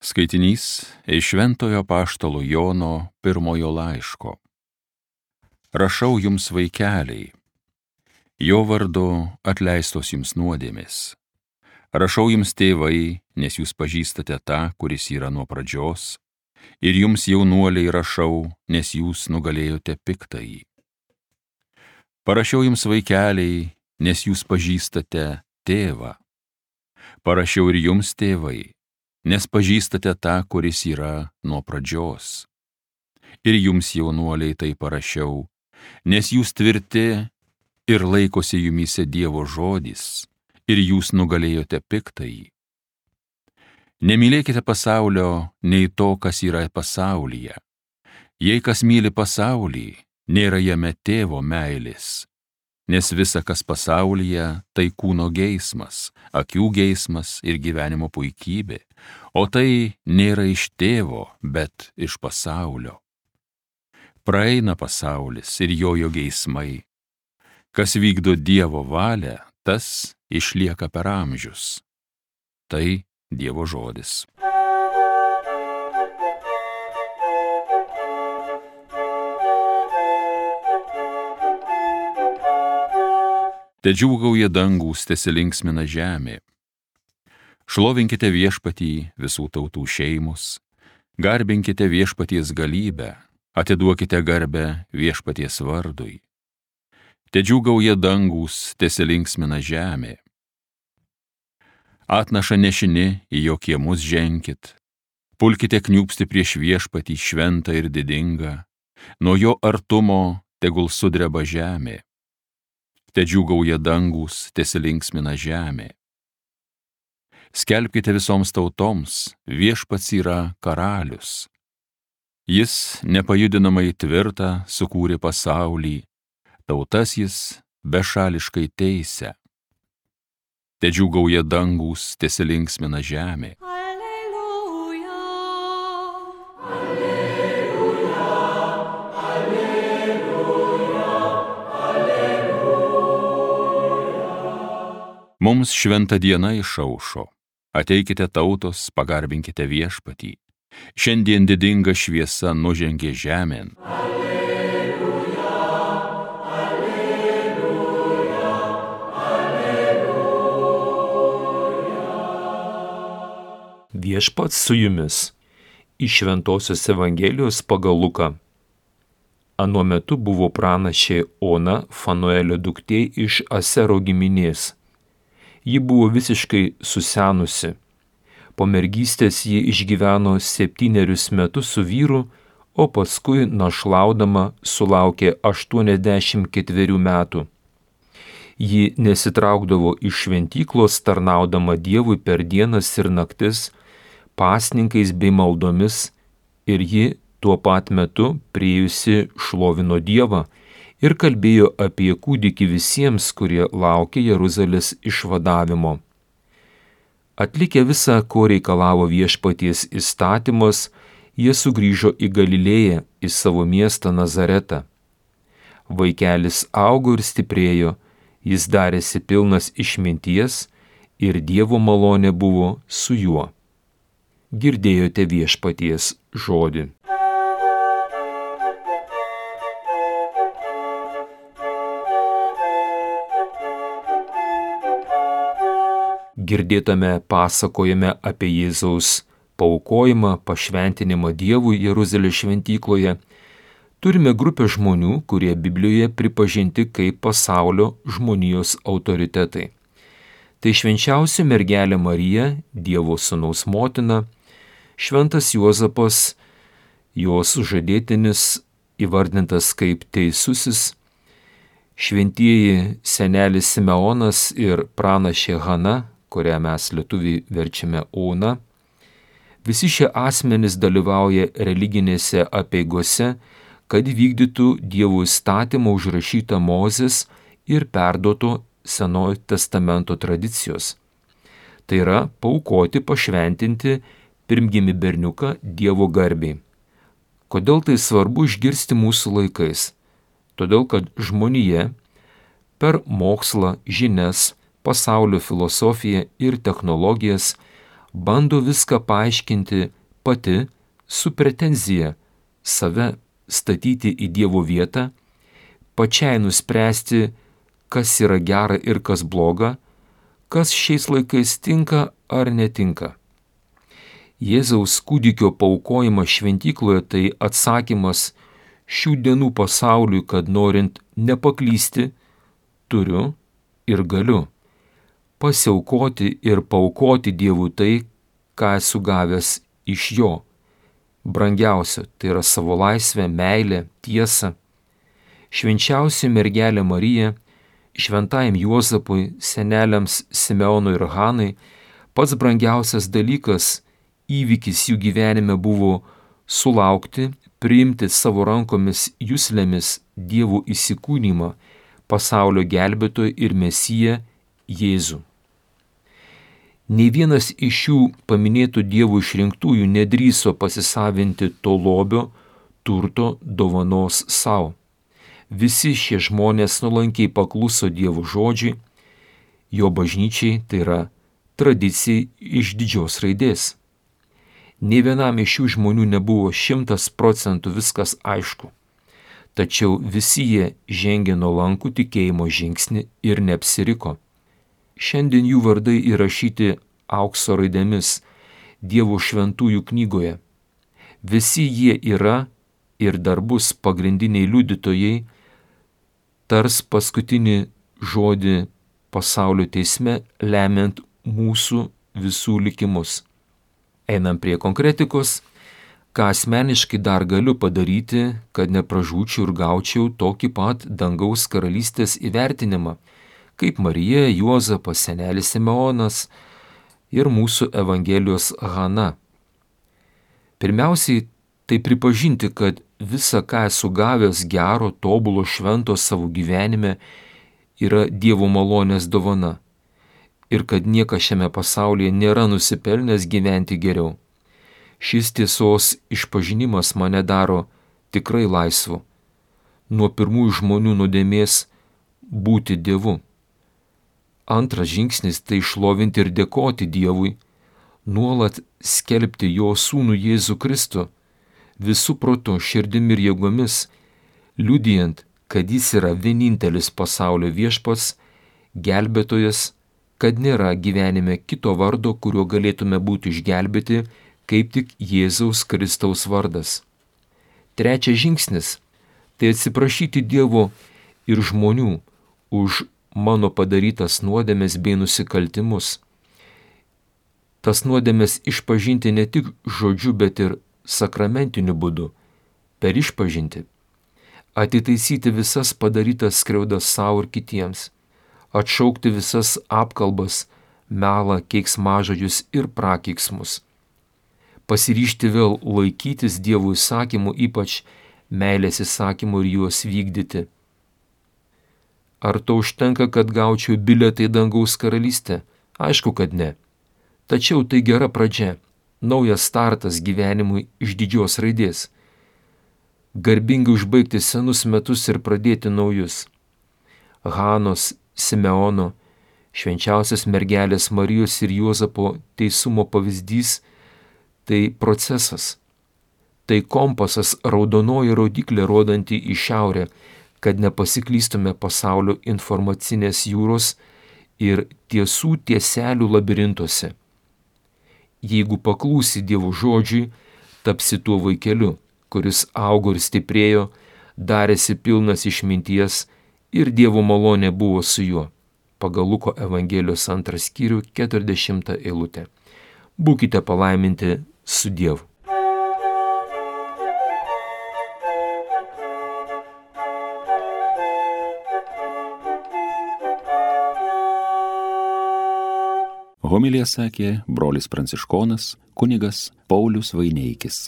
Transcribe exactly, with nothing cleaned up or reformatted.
Skaitinys iš Šventojo apaštalo Jono pirmojo laiško. Rašau jums, vaikeliai, jo vardu atleistos jums nuodėmės. Rašau jums, tėvai, nes jūs pažįstate tą, kuris yra nuo pradžios, ir jums, jaunuoliai, rašau, nes jūs nugalėjote piktąjį. Parašiau jums, vaikeliai, nes jūs pažįstate tėvą. Parašiau ir jums, tėvai, nes pažįstate tą, kuris yra nuo pradžios. Ir jums, jaunuoliai, tai parašiau, nes jūs tvirti ir laikosi jumyse Dievo žodis, ir jūs nugalėjote piktąjį. Nemylėkite pasaulio nei to, kas yra pasaulyje. Jei kas myli pasaulį, nėra jame tėvo meilės, nes visa, kas pasaulyje, tai kūno geismas, akių geismas ir gyvenimo puikybė, o tai nėra iš tėvo, bet iš pasaulio. Praeina pasaulis ir jojo geismai. Kas vykdo Dievo valią, tas išlieka per amžius. Tai Dievo žodis. Tedžiūgauja dangūs, tesilinksmina žemė. Šlovinkite viešpatį visų tautų šeimos, garbinkite viešpaties galybę, atiduokite garbę viešpaties vardui. Tedžiūgauja dangūs, tesilinksmina žemė. Atnašą nešini, į jo kiemus ženkit, pulkite kniūpsti prieš viešpatį šventą ir didingą, nuo jo artumo tegul sudreba žemė. Tedžiūgauja dangūs, tesilinksmina žemė. Skelbkite visoms tautoms, viešpats yra karalius. Jis nepajudinamai tvirtą sukūrė pasaulį, tautas jis bešališkai teisia. Tedžiūgauja dangūs, tesilinksmina žemė. Alleluja, Alleluja, Alleluja, Alleluja. Mums šventa diena išaušo. Ateikite tautos, pagarbinkite viešpatį. Šiandien didinga šviesa nužengė žemėn. Alleluja, Alleluja, Alleluja. Viešpats su jumis. Iš Šventosios Evangelijos pagal Luką. Anuo metu buvo pranašė Ona, Fanuelio duktė iš Asero giminės. Ji buvo visiškai susenusi. Po mergystės ji išgyveno septynerius metus su vyru, o paskui našlaudama sulaukė aštuoniasdešimt ketverių metų. Ji nesitraukdavo iš šventyklos, tarnaudama Dievui per dienas ir naktis, pasninkais bei maldomis, ir ji tuo pat metu priėjusi šlovino Dievą ir kalbėjo apie kūdikį visiems, kurie laukė Jeruzalės išvadavimo. Atlikę visą, ko reikalavo viešpaties įstatymas, jie sugrįžo į Galilėją, į savo miestą Nazaretą. Vaikelis augo ir stiprėjo, jis darėsi pilnas išminties ir Dievo malonė buvo su juo. Girdėjote viešpaties žodį. Girdėtame pasakojime apie Jėzaus paaukojimą, pašventinimą Dievui Jeruzalės šventykloje, turime grupę žmonių, kurie Biblijoje pripažinti kaip pasaulio žmonijos autoritetai. Tai švenčiausia mergelė Marija, Dievo sūnaus motina, šventas Juozapas, jos sužadėtinis įvardintas kaip teisusis, šventieji senelis Simeonas ir pranašė Hana, kurią mes lietuviai verčiame Ona. Visi šie asmenys dalyvauja religinėse apeigose, kad vykdytų Dievo įstatymą užrašytą Mozės ir perduoto Senojo testamento tradicijos. Tai yra paaukoti, pašventinti pirmgimį berniuką Dievo garbei. Kodėl tai svarbu išgirsti mūsų laikais? Todėl, kad žmonija per mokslą, žinias, pasaulio filosofiją ir technologijas bando viską paaiškinti pati su pretenzija save statyti į Dievo vietą, pačiai nuspręsti, kas yra gera ir kas bloga, kas šiais laikais tinka ar netinka. Jėzaus kūdikio paaukojimas šventykloje tai atsakymas šių dienų pasauliui, kad norint nepaklysti, turiu ir galiu pasiaukoti ir paaukoti Dievui tai, ką esu gavęs iš Jo. Brangiausia, tai yra savo laisvę, meilę, tiesą. Švenčiausia mergelė Marija, šventajam Juozapui, seneliams Simeonui ir Hanai, pats brangiausias dalykas, įvykis jų gyvenime buvo sulaukti, priimti savo rankomis juslėmis Dievo įsikūnymą, pasaulio gelbėtoją ir Mesiją Jėzų. Nei vienas iš šių paminėtų Dievo išrinktųjų nedrįso pasisavinti to lobio, turto, dovanos savo. Visi šie žmonės nuolankiai pakluso Dievo žodžiui, Jo bažnyčiai, tai yra tradicijai iš didžios raidės. Nei vienam iš šių žmonių nebuvo šimtas procentų viskas aišku, tačiau visi jie žengė nuolankų tikėjimo žingsnį ir neapsiriko. Šiandien jų vardai įrašyti aukso raidėmis Dievo šventųjų knygoje. Visi jie yra ir dar bus pagrindiniai liudytojai, tars paskutinį žodį pasaulio teisme, lemiant mūsų visų likimus. Einam prie konkretikos, ką asmeniškai dar galiu padaryti, kad nepražūčiau ir gaučiau tokį pat dangaus karalystės įvertinimą, kaip Marija, Juozapas, senelis Simeonas ir mūsų Evangelijos Hana. Pirmiausiai, tai pripažinti, kad visa, ką esu gavęs gero, tobulo, švento savo gyvenime, yra Dievo malonės dovana ir kad niekas šiame pasaulyje nėra nusipelnęs gyventi geriau. Šis tiesos išpažinimas mane daro tikrai laisvu nuo pirmųjų žmonių nuodėmės būti Dievu. Antras žingsnis tai šlovinti ir dėkoti Dievui, nuolat skelbti Jo sūnų Jėzų Kristų, visų protu, širdim ir jėgomis, liudijant, kad Jis yra vienintelis pasaulio viešpats, gelbėtojas, kad nėra gyvenime kito vardo, kuriuo galėtume būti išgelbėti, kaip tik Jėzaus Kristaus vardas. Trečias žingsnis – tai atsiprašyti Dievo ir žmonių už mano padarytas nuodėmes bei nusikaltimus. Tas nuodėmes išpažinti ne tik žodžiu, bet ir sakramentiniu būdu, per išpažinti. Atitaisyti visas padarytas skriaudas savo ir kitiems. Atšaukti visas apkalbas, melą, keiksmažodžius ir prakeiksmus. Pasiryžti vėl laikytis Dievo įsakymų, ypač meilės įsakymų ir juos vykdyti. Ar to užtenka, kad gaučiau bilietą į dangaus karalystę? Aišku, kad ne. Tačiau tai gera pradžia, naujas startas gyvenimui iš didžios raidės. Garbingai užbaigti senus metus ir pradėti naujus. Hanos, Simeono, švenčiausios mergelės Marijos ir Juozapo teisumo pavyzdys – tai procesas. Tai kompasas, raudonoji rodiklė rodanti į šiaurę, kad nepasiklystume pasaulio informacinės jūros ir tiesų tieselių labirintuose. Jeigu paklūsi Dievo žodžiui, tapsi tuo vaikeliu, kuris augo ir stiprėjo, darėsi pilnas išminties ir Dievo malonė buvo su juo. Pagal Luko Evangelijos antrą skyrių keturiasdešimtą eilutę. Būkite palaiminti su Dievu. Homiliją sakė brolis pranciškonas kunigas Paulius Vaineikis.